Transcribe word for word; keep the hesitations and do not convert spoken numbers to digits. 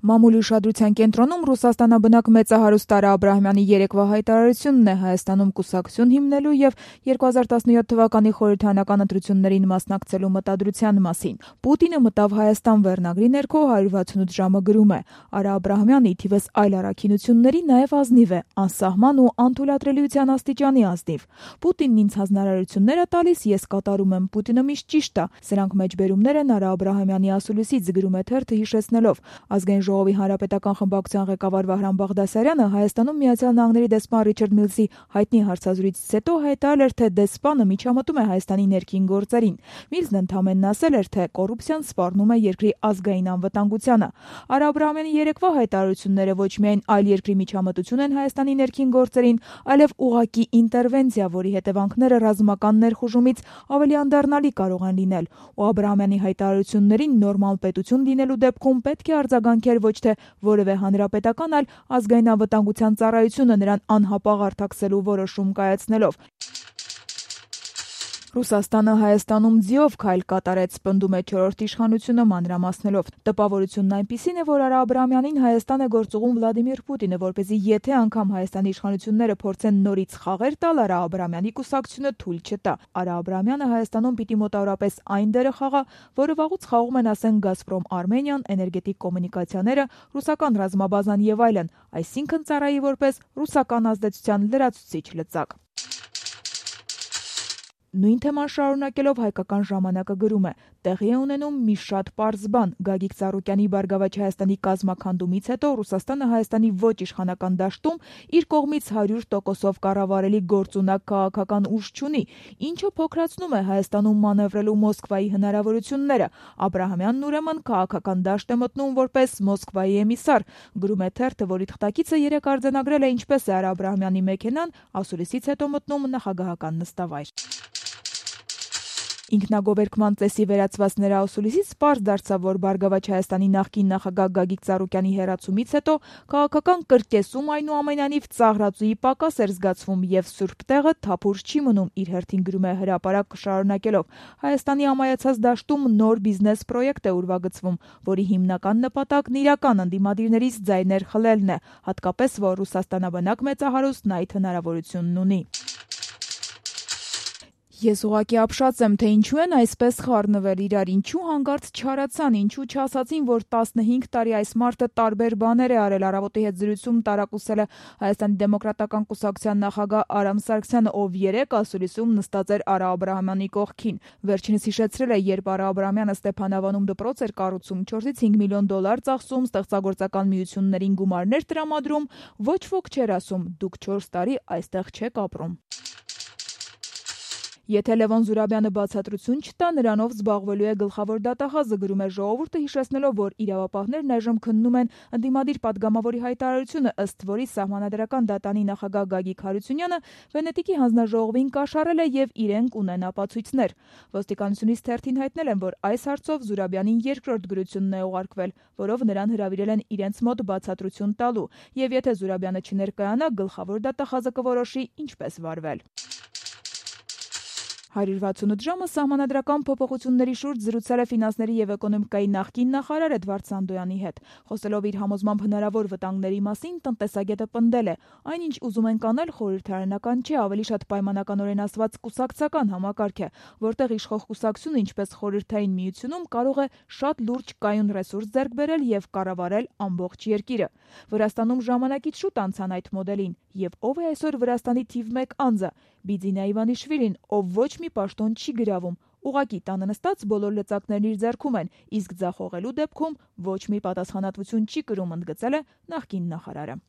Մամուլի ուշադրության կենտրոնում Ռուսաստանաբնակ մեծահարուստ Արա Աբրահամյանի երեկվա հայտարարությունն է Հայաստանում կուսակցություն հիմնելու եւ երկու հազար տասնյոթ թվականի խորհրդարանական ընտրություններին մասնակցելու մտադրության մասին։ Պուտինը մտավ Հայաստան վերնագրի ներքո հարյուր վաթսունութ ժամը գրում է. Արա Աբրահամյանը ի թիվս այլ առաքինությունների նաեւ ազնիվ է, անսահման ու անթույլատրելիության աստիճանի ազնիվ։ Պուտինն ինձ հանրարարություններ է տալիս, ես կատարում եմ, Պուտինը միշտ ճիշտ է։ Սրանք մեջբերումներ են Արա Աբրահամյանի ասուլիսից, գրում է թերթը հիշեցնելով. Ազգային ժողովի հանրապետական խմբակցության ղեկավար Վահրամ Բաղդասարյանը Հայաստանում Միացյալ Նահանգների դեսպան Ռիչարդ Միլսի հայտնի հարցազրույցից հետո հայտարարել էր, թե դեսպանը միջամտում է Հայաստանի ներքին գործերին։ Միլսն ընդհանրապես ասել էր, թե կոռուպցիան սպառնում է երկրի ազգային անվտանգությանը։ Արա Աբրահամյանի երեկվա հայտարարությունները ոչ միայն այլ երկրի միջամտություն են Հայաստանի ներքին գործերին, այլև ուղղակի ինտերվենցիա, որի հետևանքները ռազմական ներխուժումից ավելի անդառնալի կարող են լինել։ Ու Աբրահամյանի հայտարարություններին նորմալ պետություն լինելու դեպքում պետք է արձագանքել ոչ թե որևէ հանրապետական, այլ ազգային անվտանգության ծառայությունը նրան անհապաղ արձակելու որոշում կայացնելով։ Ռուսաստանը Հայաստանում ձիով քայլ կատարեց, պնդում է չորրորդ իշխանությունը մանրամասնելով։ Տպավորությունն այնպիսին է, որ Արա Աբրահամյանին Հայաստան է գործուղում Վլադիմիր Պուտինը, որպեսզի եթե անգամ Հայաստանի իշխանությունները փորձեն նորից խաղեր տալ, Արա Աբրահամյանի կուսակցությունը թույլ չտա։ Արա Աբրահամյանը Հայաստանում պիտի մոտավորապես այն դերը խաղա, որը վաղուց խաղում են, ասենք, Գազպրոմ Արմենիան, էներգետիկ կոմունիկացիաները, ռուսական ռազմաբազան եւ այլն, այսինքն ծառայի որպես ռուսական ազդեցության լրացուցիչ լծակ։ Նույն թեման շարունակելով հայկական ժամանակը գրում է. տեղի է ունենում մի շատ պարզ բան. Գագիկ Ծառուկյանի Բարգավաճ Հայաստանի կազմաքանդումից հետո Ռուսաստանը Հայաստանի ոչ իշխանական դաշտում իր կողմից հարյուր տոկոսով կառավարելի գործունակ քաղաքական ուժ չունի, ինչը փոքրացնում է Հայաստանում մանևրելու Մոսկվայի հնարավորությունները։ Աբրահամյանն ուրեմն քաղաքական դաշտ է մտնում որպես Մոսկվայի էմիսար, գրում է թերթը, որի թղթակիցը երեկ արձանագրել է ինչպես է Արա Աբրահամյանի մեքենան ասուլիսից հետո մտնում նախագահական նստավայր։ Ինքնագովերքման ծեսի վերածված նրա ասուլիսից պարզ դարձավ, որ Բարգավաճ Հայաստանի նախկին նախագահ Գագիկ Ծառուկյանի հեռացումից հետո քաղաքական կրկեսում այնուամենայնիվ ծաղրածուի պակաս էր զգացվում եւ սուրբ տեղը թափուր չի մնում, իր հերթին գրում է հրապարակ շարունակելով. Հայաստանի ամայացած դաշտում նոր բիզնես պրոյեկտ է ուրվագծվում, որի հիմնական նպատակն իրական ընդդիմադիրներից ձայներ խլելն է, հատկապես որ Ռուսաստանաբնակ մեծահարուստն այդ հնարավորությունն ունի։ Ես ուղղակի ապշած եմ, թե ինչու են այսպես խառնվել իրար, ինչու հանկարծ չարացան, ինչու չասացին, որ տասնհինգ տարի այս մարդը տարբեր բաներ է արել։ Առավոտի հետ զրույցում տարակուսել է Հայաստանի դեմոկրատական կուսակցության նախագահ Արամ Սարգսյանը, ով երեկ ասուլիսում նստած էր Արա Աբրահամյանի կողքին։ Վերջինս հիշեցրել է, երբ Արա Աբրահամյանը Ստեփանավանում դպրոց էր կառուցում, չորսից հինգ միլիոն դոլար ծախսում, ստեղծագործական միություններին գումարներ տրամադրում, ոչ ոք չէր ասում՝ դուք չորս տարի այստեղ չեք ապրում։ Եթե Լևոն Զուրաբյանը բացատրություն չտա, նրանով զբաղվելու է գլխավոր դատախազը, գրում է Ժողովուրդը, հիշեցնելով, որ իրավապահներն այժմ քննում են ընդդիմադիր падգամավորի հայտարարությունը, ըստ որի Սահմանադրական դատանի նախագահ Գագիկ Հարությունյանը Վենետիկի հանձնաժողովին կաշառել է եւ իրենք ունեն ապացույցներ։ Ոստիկանությունից թերթին հայտնել են, որ այս հարցով Զուրաբյանին երկրորդ գրությունն է ուղարկվել, որով նրան հրավիրել են իրենց մոտ բացատրություն տալու, եւ եթե Զուրաբյանը չներկայանա, գլխավոր դատախազը կորոշի ինչպես վարվել։ հարյուր վաթսունութ ժամը սահմանադրական փոփոխությունների շուրջ զրուցել է ֆինանսների եւ էկոնոմիկայի նախկին նախարար Էդվարդ Սանդոյանի հետ։ Խոսելով իր համոզմամբ հնարավոր վտանգների մասին, տնտեսագետը պնդել է. այն, ինչ ուզում ենք անել, խորհրդարանական չէ, ավելի շատ պայմանականորեն ասված կուսակցական համակարգ է, որտեղ իշխող կուսակցությունը, ինչպես Խորհրդային Միությունում, կարող է շատ լուրջ կայուն ռեսուրս ձեռք բերել եւ կառավարել ամբողջ երկիրը։ Վրաստանում ժամանակից շուտ անցան այդ մոդելին, եւ ով է այսօր Վրաստանի թիվ մեկ անձը՝ Բիձինա Իվանիշվիլին, ով ոչ մի պաշտոն չի գրավում, ուղղակի տանը նստած բոլոր լծակներն իր ձեռքում են, իսկ ձախողելու դեպքում ոչ մի պատասխանատվություն չի կրում, ընդգծել է նախկին նախարարը։